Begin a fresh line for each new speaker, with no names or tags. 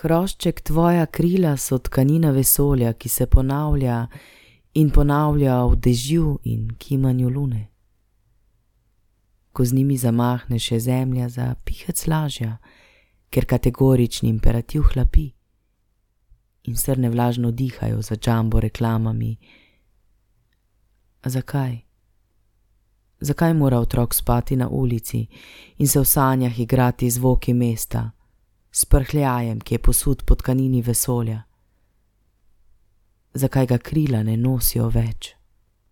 Hrošček, tvoja krila so tkanina vesolja, ki se ponavlja in ponavlja v dežju in kimanju lune. Ko z njimi zamahneš, je zemlja za pihec lažja, ker kategorični imperativ hlapi in srne vlažno dihajo za džambo reklamami. A zakaj? Zakaj mora otrok spati na ulici in se v sanjah igrati zvoki mesta, s prhljajem, ki je posut po tkanini vesolja? Zakaj ga krila ne nosijo več?